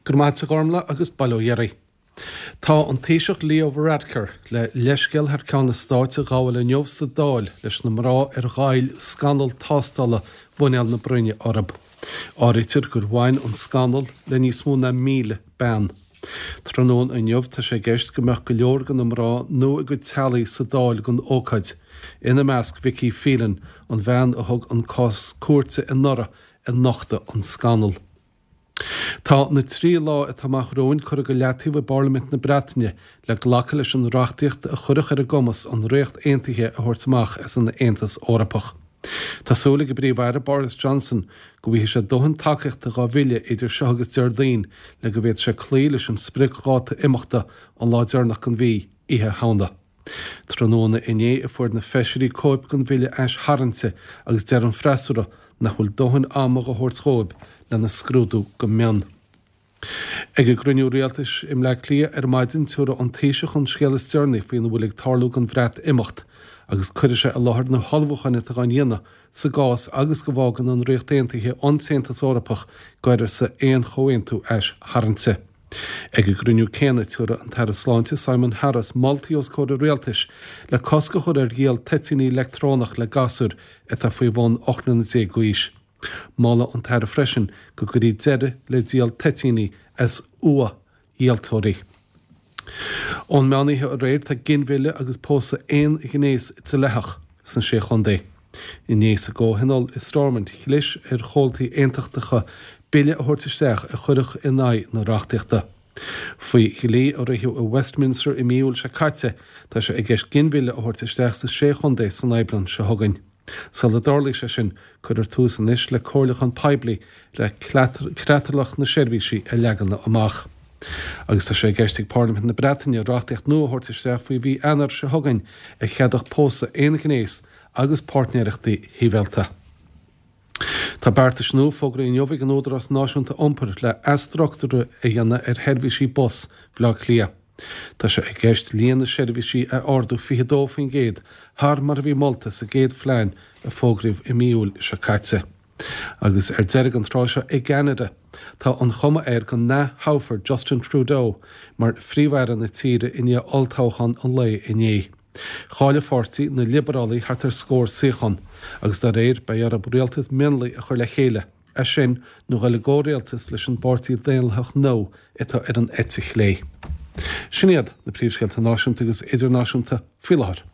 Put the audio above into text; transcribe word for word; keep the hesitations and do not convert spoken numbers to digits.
Go raibh maith agat a Ghormlaith agus bail ó Dhia oraibh. Tá an Taoiseach Leo Varadkar le leithscéal thar ceann an stáit a ghabháil inniu sa Dáil leis na mná ar ghoill scannal tástála mhuineál na broinne orthu. Áirítear gur bhain an scannal le níos mó ná míle bean. Tráthnóna inniu tá sé i gceist go mbeadh go leor de na mná nó a gcuid teaghlaigh sa Dáil don ócáid. Ina measc Vicky Phelan, an bhean a thug an cás cúirte anuraidh a nochtadh an scannal. Tá na trí lá atá amach romhainn curtha go leataobh i bParlaimint na Breataine le glacadh leis an reachtaíocht a chuirfeadh ar a gcumas an Ríocht Aontaithe a thabhairt amach as an Aontas Eorpach. Tá súil ag an bPríomh-Aire Boris Johnson go bhfaighidh sé dóthain tacaíochta dá bhille idir seo agus Déardaoin le go bhféadfaidh sé cloí leis an spriocdháta imeachta an lá deireanach den mhí, Oíche Shamhna. Tráthnóna inné a fuair na feisirí cóip den bhille aistharraingte agus deir an freasúra nach bhfuil dóthain ama á thabhairt dóibh lena scrúdú go mion. Ag an gcruinniú rialtais i mBleá Cliath ar maidin tabharfaidh an Taoiseach an scéal is deireanaí faoina bhfuil ag tarlú don Bhreatimeacht, agus cuirfidh sé i láthair na hullmhúcháin atá á ndéanamh sa gcás agus go bhfágann an Ríocht Aontaithe an tAontas Eorpach d'uireasa aon chomhaontú aistharraingte. Ag an gcruinniú céanna tabharfaidh an tAire Sláinte Simon Harris moltaí os comhair an rialtais le cosc a chur ar dhíol toitíní leictreonach le gasúir atá faoi bhun ocht mbliana déag d'aois. Moladh an tAire freisin go gcuirfí deireadh le díol toitíní as uathdhíoltóirí. Ón meánoíche aréir tá ginmhilleadh agus pósadh aon ghnéas dleathach sna Sé Chontae. Inné sa gcomhthionól i Stormont chlis ar chomhaltaí aontachtacha bille a thabhairt isteach a chuirfeadh in aghaidh na reachtaíochta. Faoi dhlí a ritheadh i Westminster i mí Iúil seo caite, tá sé i gceist ginmhilleadh a thabhairt isteach sna Sé Chontae san Aibreán seo chugainn. Sula dtarlaíonn sé sin, cuirfear tús anois le comhairliúchán poiblí le creatlach na seirbhísí a leagan amach. Agus tá sé i gceist ag Parlaimint na Breataine reachtaíocht nua a thabhairt isteach faoi mhí Eanáir seo chugainn a cheadódh pósadh aon ghnéas agus páirtnéireachtaí shibhialta. Tá beartais nua fógraithe inniu ag an Údarás Náisiúnta Iompair le athstruchtúrú a dhéanamh ar sheirbhísí bus Bhaile Átha Cliath. Tá sé i gceist líon na seirbhísí a ardú fiche dó faoin gcéad thar mar a bhí molta sa gcéad phlean a fógraíodh i mí Iúil seo caite. Agus ar deireadh an tráth seo i gCeanada, tá an chuma air go n-atoghfar Justin Trudeau mar phríomh-aire na tíre i ndiaidh olltoghchán an lae inné. Chaill a pháirtí na Liobrálaigh thart ar scór suíochán, agus dá réir beidh orthu rialtas mionlaigh a chur le chéile, é sin nó dhul i gcomhrialtas leis an bPáirtí Daonlathach Nua atá ar an eite chlé. Sin iad na príomhscéalta náisiúnta agus idirnáisiúnta faoi láthair.